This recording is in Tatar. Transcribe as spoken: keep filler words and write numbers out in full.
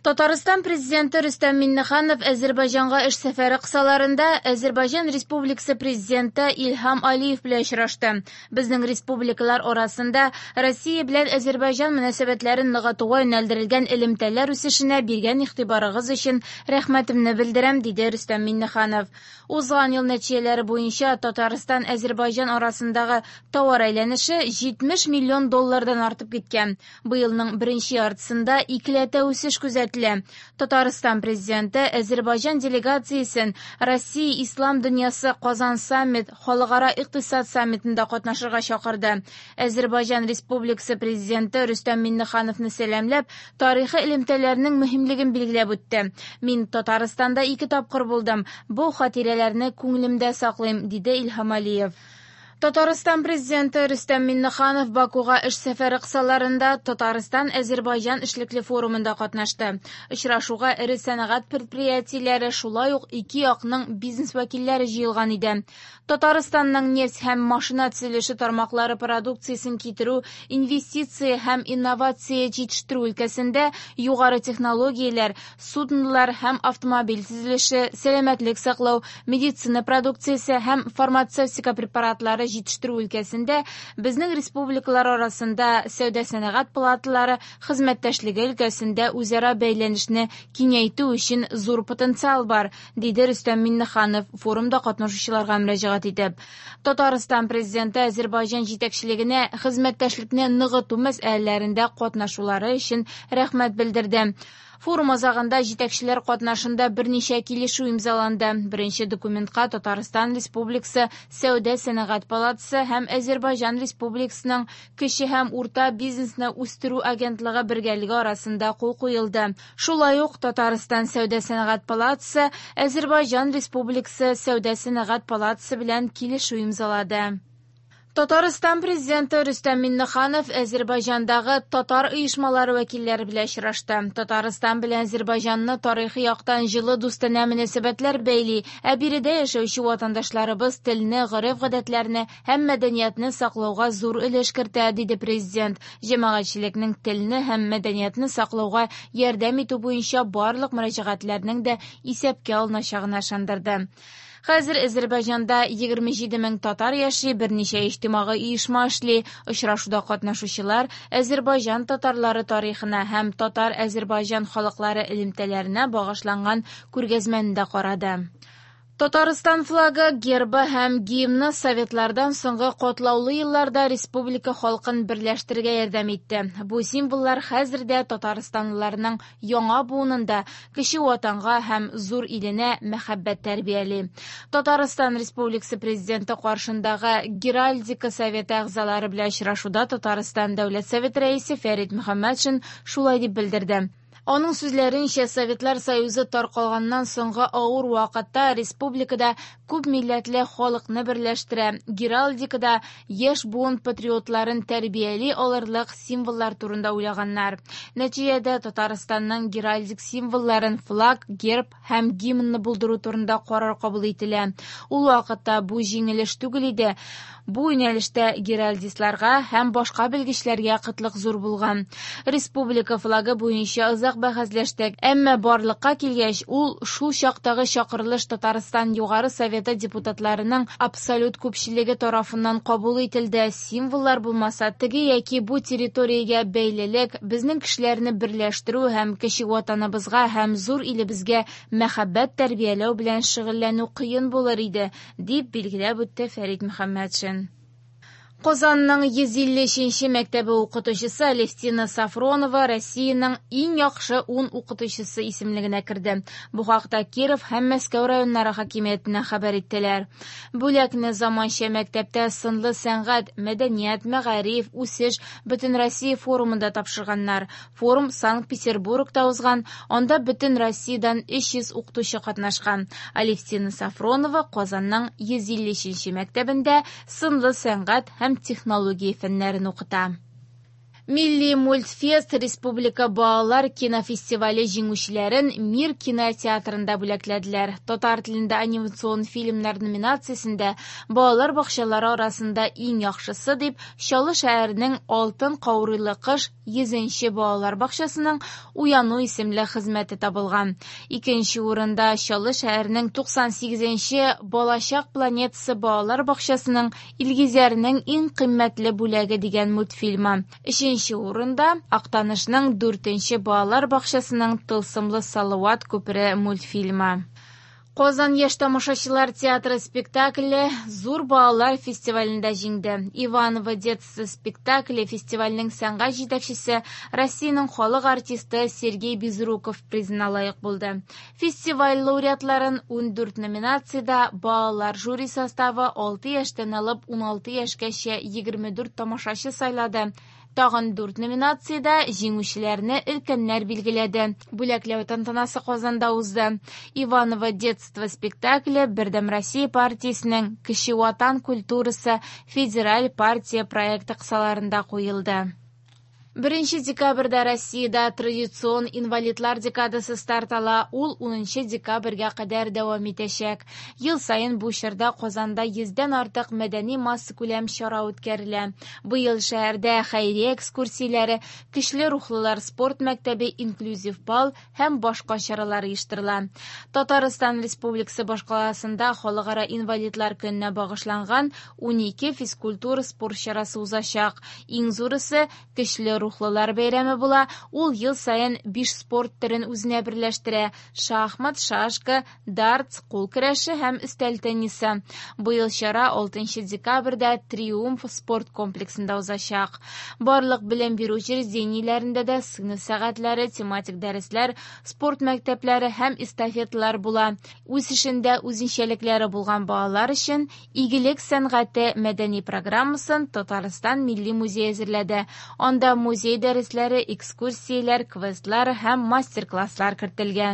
Татарстан Президенты Рөстәм Миңнеханов Әзербайҗанга эш сәфәре кысаларында Әзербайҗан Республикасы Президенты Илһам Алиев белән очрашты. Безнең республикалар арасында Россия белән Әзербайҗан мөнәсәбәтләрен ныгытуга юнәлдерелгән элемтәләр үсешенә биргән игътибарыгыз өчен рәхмәтемне белдерәм, диде Рөстәм Миңнеханов. Узган ел нәтиҗәләре буенча Татарстан-Әзербайҗан арасындагы товар әйләнеше җитмеш миллион доллардан артып киткән. Быелның беренче яртысында икеләтә үсеш күзәтелә. Татарстан Президенты Әзербайҗан делегациясен Россия Ислам дөньясы Казан саммит халыкара икътисад саммитында катнашырга чакырды. Әзербайҗан Республикасы Президенты Рөстәм Миңнехановны сәламләп, тарихи элемтәләрнең мөһимлеген билгеләп үтте. Мин Татарстанда ике тапкыр булдым. Бу хатирәләрне күңелемдә саклыйм, диде Илһам Алиев. Татарстан Президенты Рөстәм Миңнеханов Бакуга эш сәфәре кысаларында Татарстан-Әзербайҗан эшлекле форумында катнашты. Очрашуга эре сәнәгать предприятиеләре, шулай ук ике якның бизнес вәкилләре җыелган иде. Татарстанның нефть һәм машина төзелеше тармаклары продукциясен китерү, инвестиция һәм инновация җитештерү өлкәсендә югары технологияләр, суднолар һәм автомобиль төзелеше, сәламәтлек саклау, медицина продукциясе һәм фармацевтика препаратлары җитештерү өлкәсендә безнең республикалар арасында сәүдә-сәнәгать палаталары хезмәттәшлеге өлкәсендә үзара бәйләнешне киңәйтү өчен зур потенциал бар, диде Рөстәм Миңнеханов форумда катнашучыларга мөрәҗәгать итеп. Татарстан Президенты Әзербайҗан җитәкчелегенә хезмәттәшлекне ныгыту мәсьәләләрендә катнашулары өчен рәхмәт белдерде. Форум азагында җитәкчеләр катнашында берничә килешү имзаланды. Беренче документка Татарстан Республикасы Сәүдә-сәнәгать палатасы һәм Әзербайҗан Республикасының кече һәм урта бизнесны үстерү агентлыгы бергәлеге арасында кул куелды. Шулай ук Татарстан Сәүдә-сәнәгать палатасы Әзербайҗан Республикасы Сәүдә-сәнәгать палатасы белән килешү имзалады. Татарстан Президенты Рөстәм Миңнеханов Әзербайҗандагы татар оешмалары вәкилләре белән очрашты. Татарстан белән Әзербайҗанны тарихи яктан җылы дустанә мөнәсәбәтләр бәйли, ә биредә яшәүче ватандашларыбыз телне, гореф-гадәтләрне һәм мәдәниятне саклауга зур өлеш кертә, диде президент. Җәмәгатьчелекнең телне һәм мәдәниятне саклауга ярдәм итү буенча барлык мөрәҗәгатьләрнең дә исәпкә алыначагына ышандырды. Хәзер Әзербайҗанда егерме җиде мең татар яши, берничә иҗтимагый оешма эшли. Очрашуда катнашучылар Әзербайҗан татарлары тарихына һәм татар-Әзербайҗан халыклары элемтәләренә багышланган күргәзмәне дә карады. Татарстан флагы, гербы һәм гимны советлардан соңгы катлаулы елларда республика халкын берләштерергә ярдәм итте. Бу символлар хәзер дә татарстанлыларның яңа буынында кече ватанга һәм зур иленә мәхәббәт тәрбияли. Татарстан Республикасы Президенты каршындагы Геральдика советы әгъзалары белән очрашуда Татарстан Дәүләт Советы рәисе Фәрит Мөхәммәтшин шулай дип белдерде. Аның сүзләренчә, Советлар Союзы таркалганнан соңгы авыр вакытта республикада күп милләтле халыкны берләштерә, геральдикада яшь буын патриотларын тәрбияли алырлык символлар турында уйлаганнар. Нәтиҗәдә Татарстанның геральдик символларын флаг, герб һәм гимнны булдыру турында карар кабул ителә. Ул вакытта бу җиңел эш түгел иде. Бу юнәлештә геральдистларга һәм башка белгечләргә кытлык зур булган. Республика флагы буенча озак бәхәсләштек, әмма барлыкка килгәч, ул шул чактагы чакырылыш Татарстан Югары Советы депутатларының абсолют күпчелеге тарафыннан кабул ителде. Символлар булмаса, теге яки бу территориягә бәйлелек, безнең кешеләрне берләштерү һәм кече ватаныбызга һәм зур илебезгә мәхәббәт тәрбияләү белән шөгыльләнү кыен булыр иде, дип билгеләп үтте Фәрит Мөхәммәтшин. Казанның йөз илле өченче мәктәбе укытучысы Алевтина Сафронова Россиянең иң яхшы ун укытучысы исемлегенә керде. Бу хакта Киров һәм Мәскәү районнары хакимиятенә хәбәр иттеләр. Бүләкне заманча мәктәптә сынлы сәнгать, мәдәният, мәгариф, үсеш Бөтен Россия форумында тапшырганнар. Форум Санкт-Петербургта узган, анда бөтен Россиядән өч йөз укытучы катнашкан. Алевтина Сафронова Казанның йөз илле өченче мәктәбендә сынлы сәнгать һәм технология фәннәрен укыта. Милли мультфест республика балалар кинофестивале җиңүчеләрен Мир кинотеатрында бүләкләделәр. Татар телендә анимацион фильмнар номинациясендә балалар бакчалары арасында иң яхшысы дип Чаллы шәһәренең Алтын каурыйлы кыш йөзенче балалар бакчасының Уяну исемле хезмәте табылган. Икенче урында Чаллы шәһәренең туксан сигезенче Балачак планетасы балалар бакчасының Илгизәрнең иң кыйммәтле бүләге дигән мультфильмы. Өченче урында Актанышның дүртенче балалар бакчасының Тылсымлы Салават күпере мультфильмы. Казан яшь тамашачылар театры спектакле Зур балалар фестивалендә җиңде. Иваново детство спектакле фестивальнең сәнгать җитәкчесе Россиянең халык артисты Сергей Безруков призына лаек булды. Фестиваль лауреатларын ундүрт номинациядә балалар жюри составы алты яшьтән алып уналты яшькәчә егерме дүрт тамашачы сайлады. Тагын дүрт номинациядә җиңүчеләрне өлкәннәр билгеләде. Бүләкләү тантанасы Казанда узды. Иваново детство спектакле Бердәм Россия партиясенең Кече Ватан культурасы федераль партия проекты кысаларында куелды. Беренче декабрьдә Россиядә традицион инвалидлар декадасы старт ала, ул унынчы декабрьгә кадәр дәвам итәчәк. Ел саен бу чорда Казанда йөздән артык мәдәни массакүләм чара үткәрелә. Быел шәһәрдә хәйрия экскурсияләре, көчле рухлылар спорт мәктәбе, инклюзив бал һәм башка чаралар оештырыла. Татарстан Республикасы башкаласында Халыкара инвалидлар көненә багышланган унике физкультура спорт чарасы узачак. Иң зурысы көчле рухлылар бәйрәме була. Ул ел саен биш спорт төрен үзенә берләштерә: шахмат, шашка, дартс, кул көрәше һәм өстәл теннисы. Быел чара алтынчы декабрьдә Триумф спорт комплексында узачак. Барлык белем бирү учреждениеләрендә дә сыйныф сәгатьләре, тематик дәресләр, спорт мәктәпләре һәм эстафеталар була. Үсешендә үзенчәлекләре булган балалар өчен Игелек сәнгате мәдәни программасын Татарстан Милли музее әзерләде. Анда музей дәресләре, экскурсияләр, квестлар һәм мастер-класслар кертелгән.